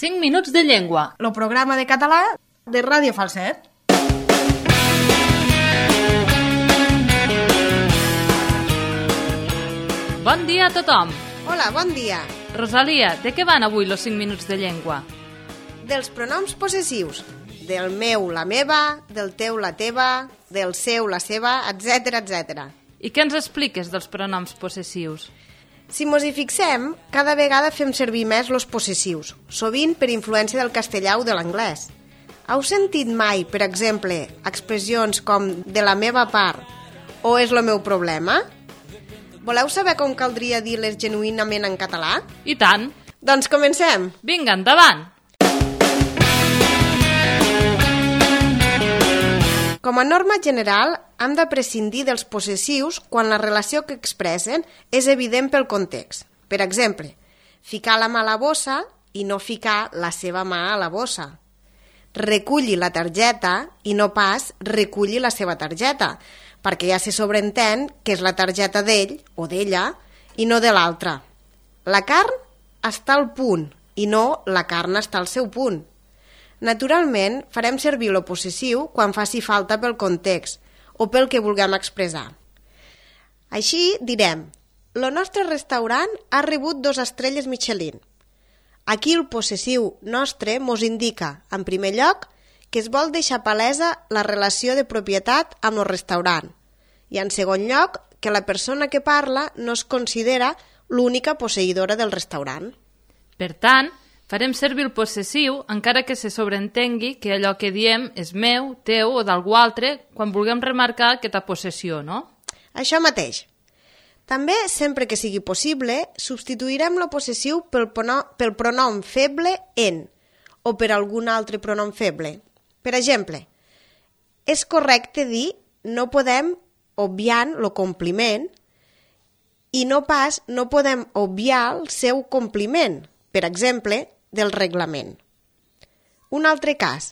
5 minuts de llengua. El programa de català de Ràdio Falset. Bon dia a tothom. Hola, bon dia. Rosalia, de què van avui els 5 minuts de llengua? Dels pronoms possessius. Del meu, la meva, del teu, la teva, del seu, la seva, etc, etc. I què ens expliques dels pronoms possessius? Si mos hi fixem, cada vegada fem servir més los possessius, sovint per influència del castellà o de l'anglès. Heu sentit mai, per exemple, expressions com de la meva part o és el meu problema? Voleu saber com caldria dir-les genuïnament en català? I tant. Doncs comencem! Vinga, endavant! Com a norma general, hem de prescindir dels possessius quan la relació que expressen és evident pel context. Per exemple, ficar la mà a la bossa i no ficar la seva mà a la bossa. Reculli la targeta i no pas reculli la seva targeta, perquè ja se sobreentén que és la targeta d'ell o d'ella i no de l'altre. La carn està al punt i no la carn està al seu punt. Naturalment, farem servir lo possessiu quan faci falta pel context o pel que vulguem expressar. Així direm, el nostre restaurant ha rebut 2 estrelles Michelin. Aquí el possessiu nostre mos indica, en primer lloc, que es vol deixar palesa la relació de propietat amb el restaurant i, en segon lloc, que la persona que parla no es considera l'única posseïdora del restaurant. Per tant, farem servir el possessiu encara que se sobreentengui que allò que diem és meu, teu o d'algú altre quan vulguem remarcar aquesta possessió, no? Això mateix. També, sempre que sigui possible, substituirem el possessiu pel pronom feble en o per algun altre pronom feble. Per exemple, és correcte dir no podem obviant el compliment i no pas no podem obviar el seu compliment, per exemple, del reglament. Un altre cas.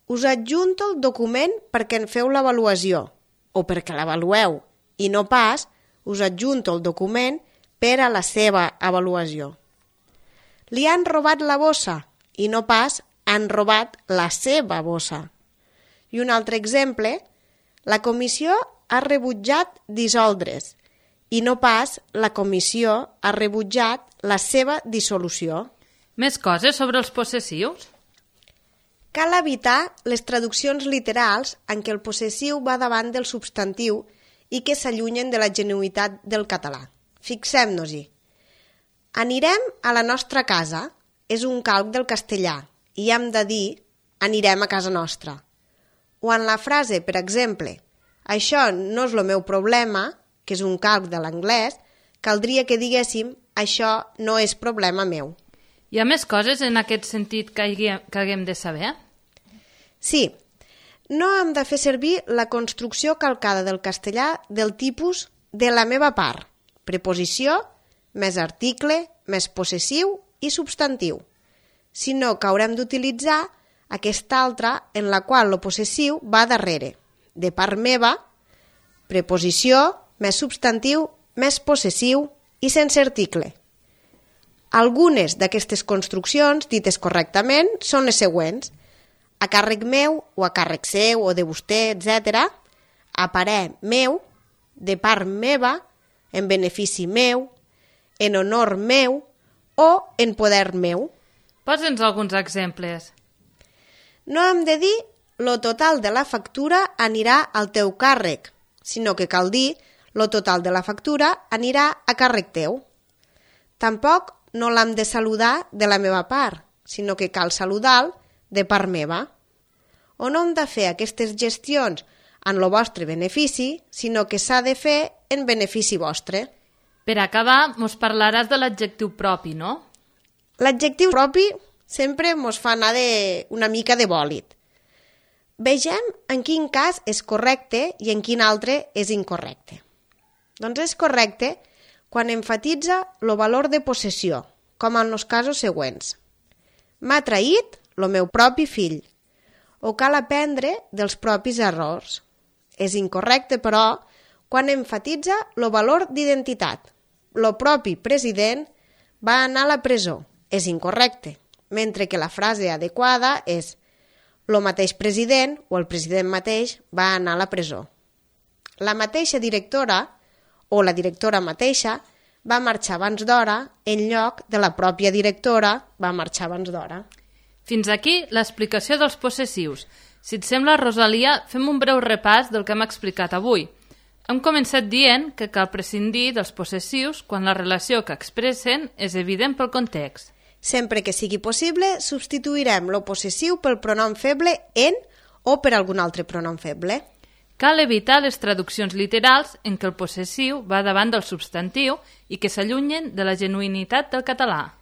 Us adjunto el document perquè en feu l'avaluació o perquè l'avalueu i no pas us adjunto el document per a la seva avaluació. Li han robat la bossa i no pas han robat la seva bossa. I un altre exemple, la comissió ha rebutjat dissoldre's i no pas la comissió ha rebutjat la seva dissolució. Més coses sobre els possessius? Cal evitar les traduccions literals en què el possessiu va davant del substantiu i que s'allunyen de la genuïtat del català. Fixem-nos-hi. Anirem a la nostra casa és un calc del castellà i hem de dir anirem a casa nostra. O en la frase, per exemple, això no és el meu problema, que és un calc de l'anglès, caldria que diguéssim això no és problema meu. Hi ha més coses en aquest sentit que haguem de saber? Sí. No hem de fer servir la construcció calcada del castellà del tipus de la meva part, preposició, més article, més possessiu i substantiu, sinó que haurem d'utilitzar aquesta altra en la qual el possessiu va darrere, de part meva, preposició, més substantiu, més possessiu i sense article. Algunes d'aquestes construccions, dites correctament, són les següents. A càrrec meu, o a càrrec seu, o de vostè, etc. A parer meu, de part meva, en benefici meu, en honor meu o en poder meu. Posa'ns alguns exemples. No hem de dir lo total de la factura anirà al teu càrrec, sinó que cal dir lo total de la factura anirà a càrrec teu. Tampoc no l'hem de saludar de la meva part, sinó que cal saludar-lo de part meva. O no hem de fer aquestes gestions en el vostre benefici, sinó que s'ha de fer en benefici vostre. Per acabar, mos parlaràs de l'adjectiu propi, no? L'adjectiu propi sempre mos fa anar una mica de bòlit. Vegem en quin cas és correcte i en quin altre és incorrecte. Doncs és correcte quan enfatitza el valor de possessió, com en els casos següents. M'ha traït el meu propi fill, o cal aprendre dels propis errors. És incorrecte, però, quan enfatitza el valor d'identitat. El propi president va anar a la presó. És incorrecte. mentre que la frase adequada és «Lo mateix president o el president mateix va anar a la presó». La mateixa directora o la directora mateixa va marxar abans d'hora en lloc de la pròpia directora va marxar abans d'hora. Fins aquí l'explicació dels possessius. Si et sembla, Rosalia, fem un breu repàs del que hem explicat avui. Hem començat dient que cal prescindir dels possessius quan la relació que expressen és evident pel context. Sempre que sigui possible, substituirem lo possessiu pel pronom feble en o per algun altre pronom feble. Cal evitar les traduccions literals en què el possessiu va davant del substantiu i que s'allunyen de la genuïnitat del català.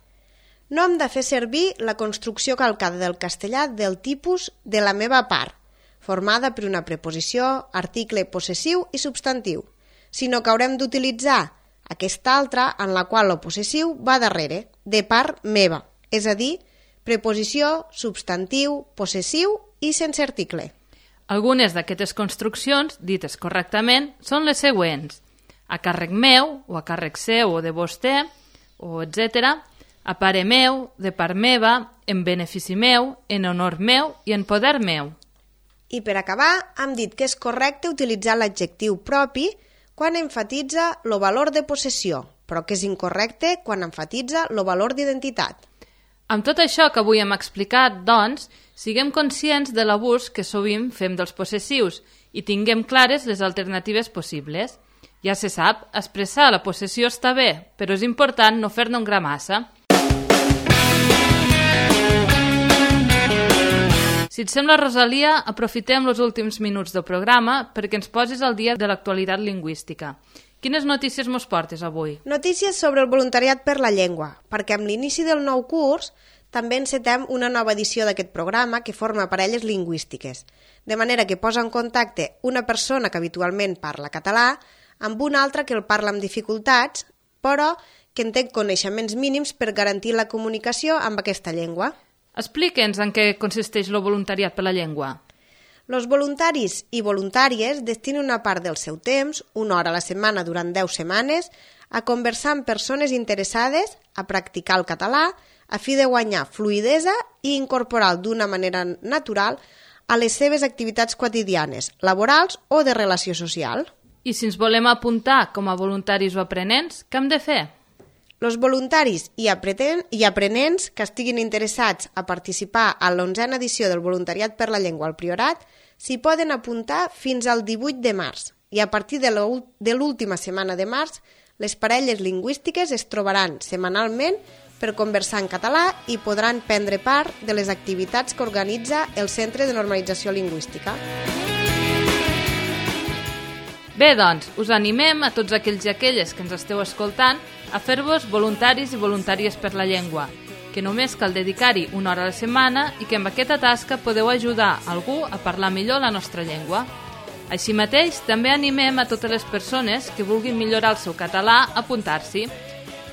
No hem de fer servir la construcció calcada del castellà del tipus de la meva part, formada per una preposició, article possessiu i substantiu, sinó que haurem d'utilitzar aquesta altra en la qual el possessiu va darrere, de part meva, és a dir, preposició, substantiu, possessiu i sense article. Algunes d'aquestes construccions, dites correctament, són les següents: a càrrec meu, o a càrrec seu o de vostè, o etc., a pare meu, de part meva, en benefici meu, en honor meu i en poder meu. I per acabar, hem dit que és correcte utilitzar l'adjectiu propi quan enfatitza el valor de possessió, però que és incorrecte quan enfatitza el valor d'identitat. Amb tot això que avui hem explicat, doncs, siguem conscients de l'abús que sovint fem dels possessius i tinguem clares les alternatives possibles. Ja se sap, expressar la possessió està bé, però és important no fer-ne un gra massa. Si et sembla, Rosalia, aprofitem els últims minuts del programa perquè ens posis al dia de l'actualitat lingüística. Quines notícies mos portes avui? Notícies sobre el voluntariat per la llengua, perquè amb l'inici del nou curs també encetem una nova edició d'aquest programa que forma parelles lingüístiques, de manera que posa en contacte una persona que habitualment parla català amb una altra que el parla amb dificultats, però que en té coneixements mínims per garantir la comunicació amb aquesta llengua. Explique'ns en què consisteix el voluntariat per la llengua. Els voluntaris i voluntàries destinen una part del seu temps, una hora a la setmana durant 10 setmanes, a conversar amb persones interessades a practicar el català a fi de guanyar fluïdesa i incorporar-lo d'una manera natural a les seves activitats quotidianes, laborals o de relació social. I si ens volem apuntar com a voluntaris o aprenents, què hem de fer? Els voluntaris i aprenents que estiguin interessats a participar a l'11a edició del Voluntariat per la Llengua al Priorat s'hi poden apuntar fins al 18 de març i a partir de l'última setmana de març les parelles lingüístiques es trobaran setmanalment per conversar en català i podran prendre part de les activitats que organitza el Centre de Normalització Lingüística. Bé, doncs, us animem a tots aquells i aquelles que ens esteu escoltant a fer-vos voluntaris i voluntàries per la llengua, que només cal dedicar-hi una hora a la setmana i que amb aquesta tasca podeu ajudar algú a parlar millor la nostra llengua. Així mateix, també animem a totes les persones que vulguin millorar el seu català a apuntar-s'hi.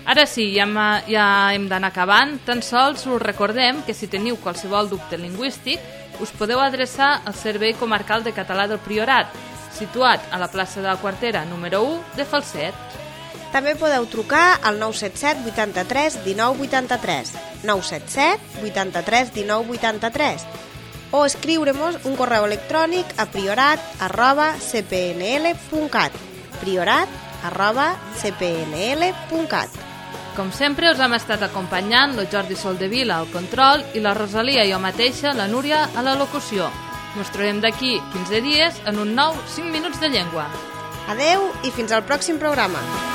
Ara sí, ja hem d'anar acabant, tan sols us recordem que si teniu qualsevol dubte lingüístic us podeu adreçar al Servei Comarcal de Català del Priorat, situat a la plaça de la Quartera número 1 de Falset. També podeu trucar al 977 83 19 83, 977 83 19 83, o escriure-nos un correu electrònic a priorat@cpnl.cat, priorat@cpnl.cat. Com sempre, us hem estat acompanyant el Jordi Soldevila al control i la Rosalia i jo mateixa, la Núria, a la locució. Ens trobem d'aquí 15 dies en un nou 5 minuts de llengua. Adeu i fins al pròxim programa.